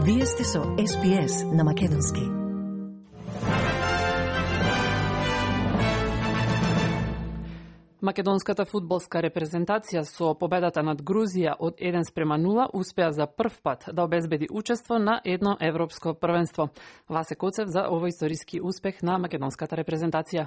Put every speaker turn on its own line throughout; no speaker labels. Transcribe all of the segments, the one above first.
Вие сте со SPS на македонски.
Македонската фудбалска репрезентација со победата над Грузија од 1:0 успеа за прв пат да обезбеди учество на едно европско првенство. Васе Коцев за овој историски успех на македонската репрезентација.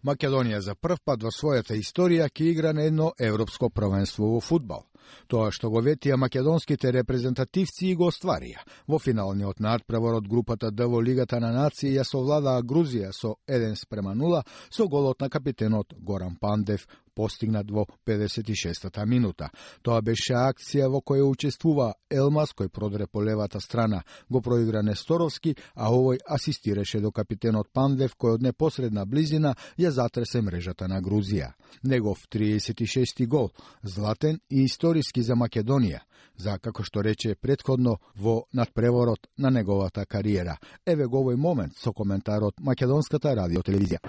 Македонија за прв пат во својата историја ќе игра на едно европско првенство во фудбал. Тоа што го ветија македонските репрезентативци и го остварија. Во финалниот надпревар од групата Д во Лигата на нации ја совладаа Грузија со 1:0 со голот на капитенот Горан Пандев, постигнат во 56-та минута. Тоа беше акција во која учествува Елмаз, кој продре по левата страна, го проигра Несторовски, а овој асистираше до капитенот Пандев, кој од непосредна близина ја затресе мрежата на Грузија. Негов 36-ти гол, златен и историски за Македонија, за, како што рече претходно, во надпреворот на неговата кариера. Еве го овој момент со коментарот Македонската радиотелевизија.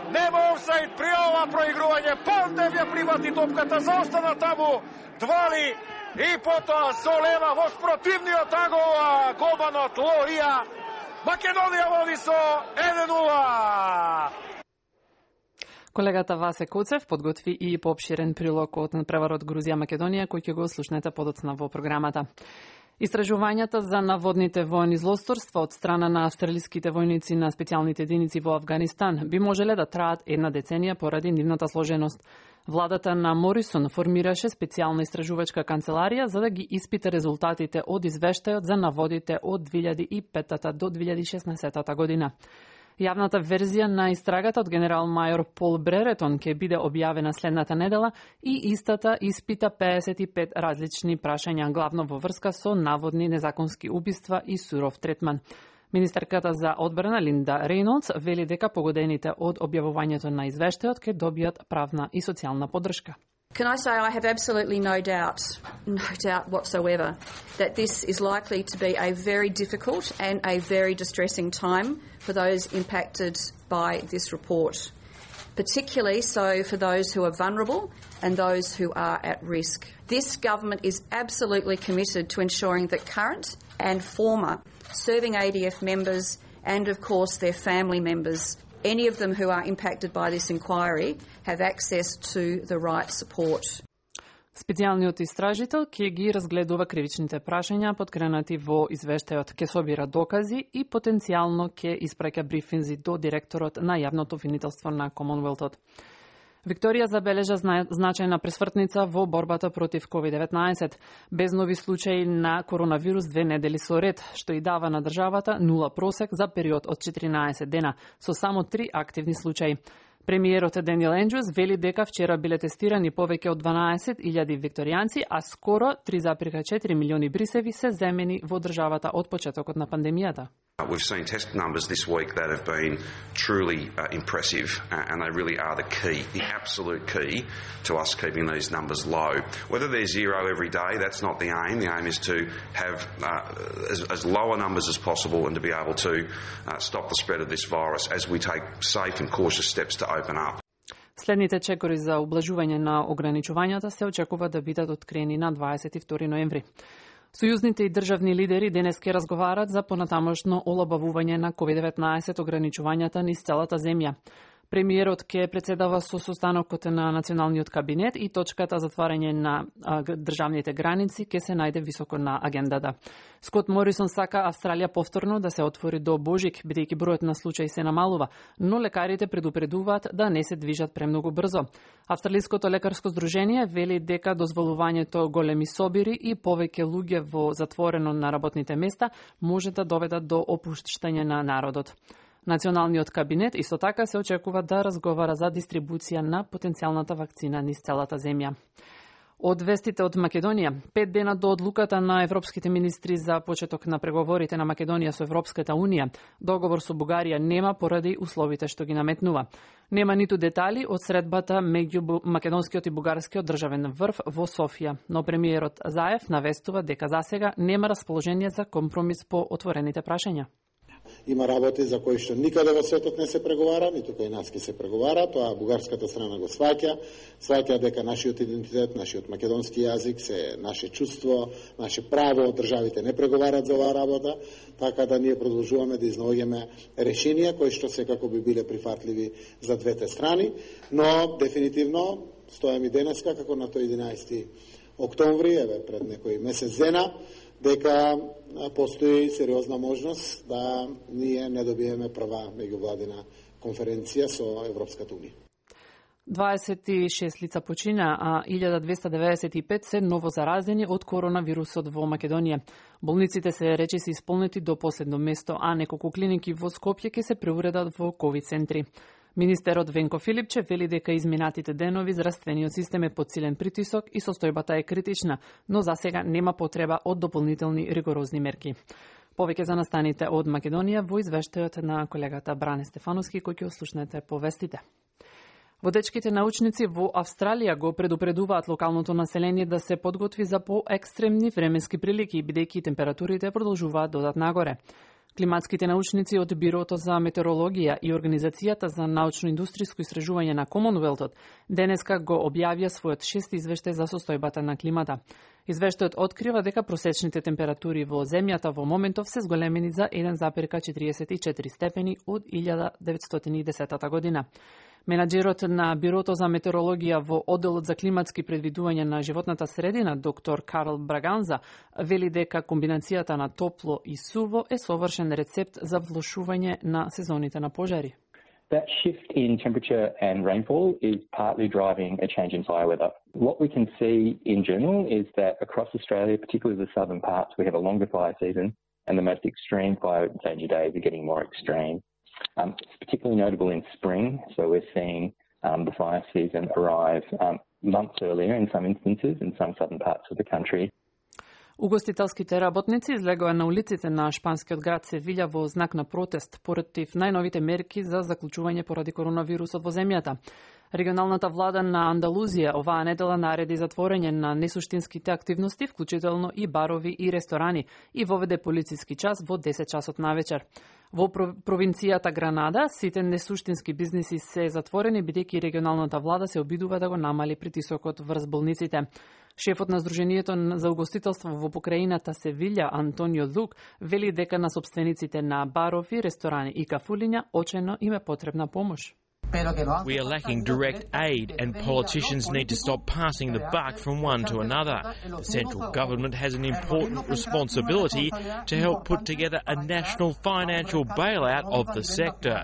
Нема офсайд при ова проигрување. Пандев ја привати топката, заостана таму, двали и потоа со лева во спротивниот агол голманот Лорија. Македонија води со 1:0.
Колегата Васе Коцев подготви и поопширен прилог од надпреварот Грузија-Македонија, кој ќе го слушнете подоцна во програмата. Истражувањата за наводните воени злосторства од страна на австралиските војници на специјалните единици во Авганистан би можеле да траат една деценија поради нивната сложеност. Владата на Морисон формираше специјална истражувачка канцеларија за да ги испита резултатите од извештајот за наводите од 2005 до 2016 година. Јавната верзија на истрагата од генерал мајор Пол Бреретон ќе биде објавена следната недела и истата испита 55 различни прашања, главно во врска со наводни незаконски убиства и суров третман. Министерката за одбрана Линда Рейнолдс вели дека погодените од објавувањето на извештајот ќе добијат правна и социјална поддршка.
Can I say I have absolutely no doubt whatsoever that this is likely to be a very difficult and a very distressing time for those impacted by this report, particularly so for those who are vulnerable and those who are at risk. This government is absolutely committed to ensuring that current and former serving ADF members and of course their family members, any of them who are impacted by this inquiry, have access to the right support.
Специјалниот истражител ќе ги разгледува кривичните прашања подкренати во извештајот, ќе собира докази и потенцијално ќе испраќа брифинзи до директорот на јавното обвинителство на Комонвелтот. Викторија забележа значајна пресвртница во борбата против COVID-19, без нови случаи на коронавирус 2 недели со ред, што и дава на државата 0 просек за период од 14 дена, со само 3 активни случаи. Премиерот Даниел Енџус вели дека вчера биле тестирани повеќе од 12.000 викторијанци, а скоро 3,4 милиони брисеви се земени во државата од почетокот на пандемијата.
We've seen test numbers this week that have been truly impressive, and they really are the key, the absolute key to us keeping these numbers low. Whether they're zero every day, that's not the aim. The aim is to have as lower numbers as possible and to be able to stop the spread of this virus as we take safe and cautious steps to open up.
Следните чекори за ублажување на ограничувањата се очекува да бидат откриени на 22 ноември. Сојузните и државни лидери денес ќе разговарат за понатамошно олабавување на COVID-19 ограничувањата низ целата земја. Премиерот ќе председава со состанокот на националниот кабинет и точката затварање на државните граници ќе се најде високо на агендата. Скот Морисон сака Австралија повторно да се отвори до Божик, бидејќи бројот на случаи се намалува, но лекарите предупредуваат да не се движат премногу брзо. Австралиското лекарско здружение вели дека дозволувањето големи собири и повеќе луѓе во затворено на работните места може да доведат до опуштање на народот. Националниот кабинет исто така се очекува да разговара за дистрибуција на потенцијалната вакцина низ целата земја. Од вестите од Македонија, 5 дена до одлуката на европските министри за почеток на преговорите на Македонија со Европската Унија, договор со Бугарија нема поради условите што ги наметнува. Нема ниту детали од средбата меѓу македонскиот и бугарскиот државен врв во Софија, но премиерот Заев навестува дека засега нема расположение за компромис по отворените прашања.
Има работи за кои што никаде во светот не се преговара, ниту кај нас ќе се преговара, тоа бугарската страна го сваќа дека нашиот идентитет, нашиот македонски јазик се наше чувство, наше право, државите не преговарат за оваа работа, така да ние продолжуваме да изнаоѓаме решенија кои што секако би биле прифатливи за двете страни, но дефинитивно стојам и денеска како на тој 11. октомври, еве пред некој месец дена, дека постои сериозна можност да ние не добиеме прва меѓувладина конференција со Европската унија.
26 лица почина, а 1295 се новозаразени од коронавирусот во Македонија. Болниците се речиси исполнети до последно место, а неколку клиники во Скопје ќе се преуредат во ковид центри. Министерот Венко Филипче вели дека изминатите денови здравствениот систем е под силен притисок и состојбата е критична, но за сега нема потреба од дополнителни ригорозни мерки. Повеќе за настаните од Македонија во извештајот на колегата Бране Стефановски, кој ќе ослушнете по вестите. Водечките научници во Австралија го предупредуваат локалното население да се подготви за поекстремни временски прилики, бидејќи температурите продолжуваат додат нагоре. Климатските научници од Бирото за метеорологија и Организацијата за научно-индустријско истражување на Комонвелтот денеска го објавија својот 6 извештај за состојбата на климата. Извештајот открива дека просечните температури во земјата во моментов се зголемени за 1,44 степени од 1910 година. Менаџерот на Бирото за метеорологија во одделот за климатски предвидување на животната средина, доктор Карл Браганза, вели дека комбинацијата на топло и суво е совршен рецепт за влошување на сезоните на пожари.
That shift in temperature and rainfall is partly driving a change in fire weather. What we can see in general is that across Australia, particularly the southern parts, we have a longer fire season and the most extreme fire danger days are getting more extreme. It's particularly notable in spring, so we're seeing the fire season arrive months earlier in some instances in some southern parts of the country.
Угостителските работници излегоа на улиците на шпанскиот град Севиља во знак на протест против најновите мерки за заклучување поради коронавирусот во земјата. Регионалната влада на Андалузија оваа недела нареди затворање на несуштинските активности, вклучително и барови и ресторани, и воведе полициски час во 10 часот навечер. Во провинцијата Гранада, сите несуштински бизниси се затворени, бидејќи регионалната влада се обидува да го намали притисокот врз болниците. Шефот на Сдруженијето за угостителство во покраината Севиља, Антонио Лук, вели дека на собствениците на барови, ресторани и кафулиња очено им е потребна помош.
We are lacking direct aid and politicians need to stop passing the buck from one to another. The central government has an important responsibility to help put together a national financial bailout of the sector.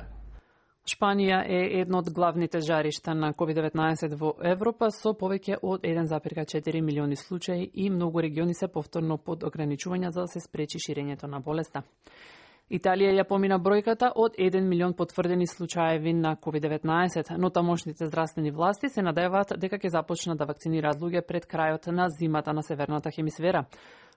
Шпанија е едно од главните жаришта на COVID-19 во Европа со повеќе од 1,4 милиони случаи и многу региони се повторно под ограничувања за да се спречи ширењето на болеста. Италија ја помина бројката од 1 милион потврдени случаеви на COVID-19, но тамошните здравствени власти се надеваат дека ќе започнат да вакцинираат луѓе пред крајот на зимата на северната хемисфера.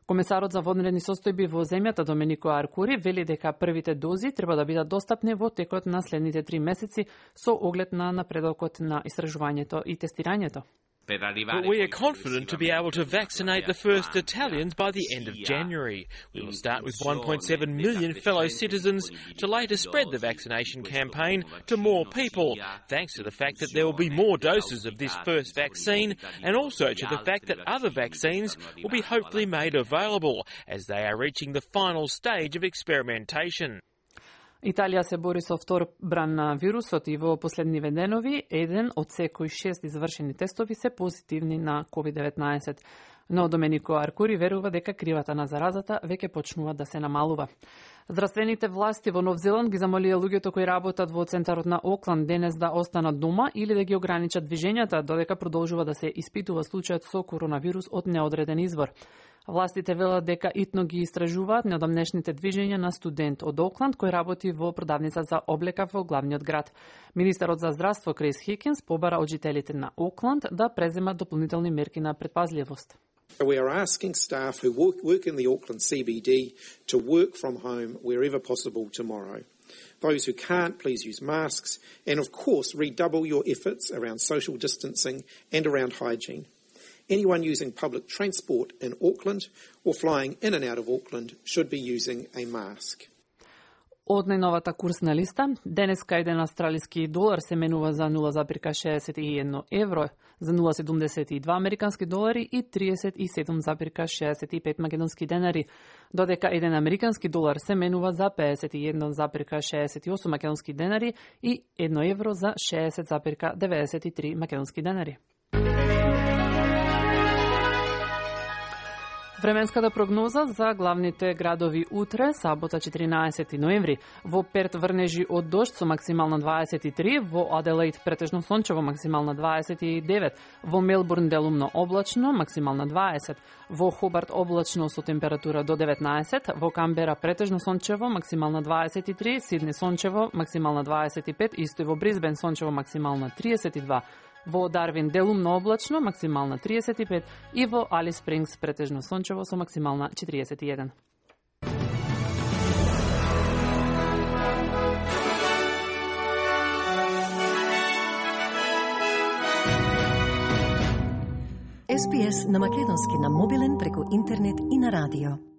Комесарот за вонредни состојби во земјата Доменико Аркури вели дека првите дози треба да бидат достапни во текот на следните 3 месеци со оглед на напредокот на истражувањето и тестирањето.
But we are confident to be able to vaccinate the first Italians by the end of January. We will start with 1.7 million fellow citizens to later spread the vaccination campaign to more people, thanks to the fact that there will be more doses of this first vaccine and also to the fact that other vaccines will be hopefully made available as they are reaching the final stage of experimentation.
Италија се бори со втор бран на вирусот и во последниве денови, еден од секој 6 извршени тестови се позитивни на COVID-19. Но Доменико Аркури верува дека кривата на заразата веќе почнува да се намалува. Здравствените власти во Нов Зеланд ги замолија луѓето кои работат во центарот на Окланд денес да останат дома или да ги ограничат движењата, додека продолжува да се испитува случајот со коронавирус од неодреден извор. Властите велат дека итно ги истражуваат неодамнешните движења на студент од Окланд кој работи во продавница за облека во главниот град. Министерот за здравство Крис Хикинс побара од жителите на Окланд да преземат дополнителни мерки на предпазливост.
We are asking staff who work in the Auckland CBD to work from home wherever possible tomorrow. Those who can't, please use masks and, of course, redouble your efforts around social distancing and around hygiene. Anyone using public transport in Auckland or flying in and out of Auckland should be using a mask.
Од најновата курсна листа, денеска еден австралиски долар се менува за 0,61 евро, за 0,72 американски долари и 37,65 македонски денари, додека еден американски долар се менува за 51,68 македонски денари и 1 евро за 60,93 македонски денари. Временската прогноза за главните градови утре, сабота 14 ноември. Во Перт врнежи од дожд со максимална 23, во Аделаид претежно сончево максимална 29, во Мелбурн делумно облачно максимална 20, во Хобарт облачно со температура до 19, во Камбера претежно сончево максимална 23, Сидни сончево максимална 25, исто и во Брисбен сончево максимална 32, во Дарвин делумно облачно, максимална 35 и во Алис Спрингс претежно сончево со максимална 41.
SPS на македонски на мобилен преку интернет и на радио.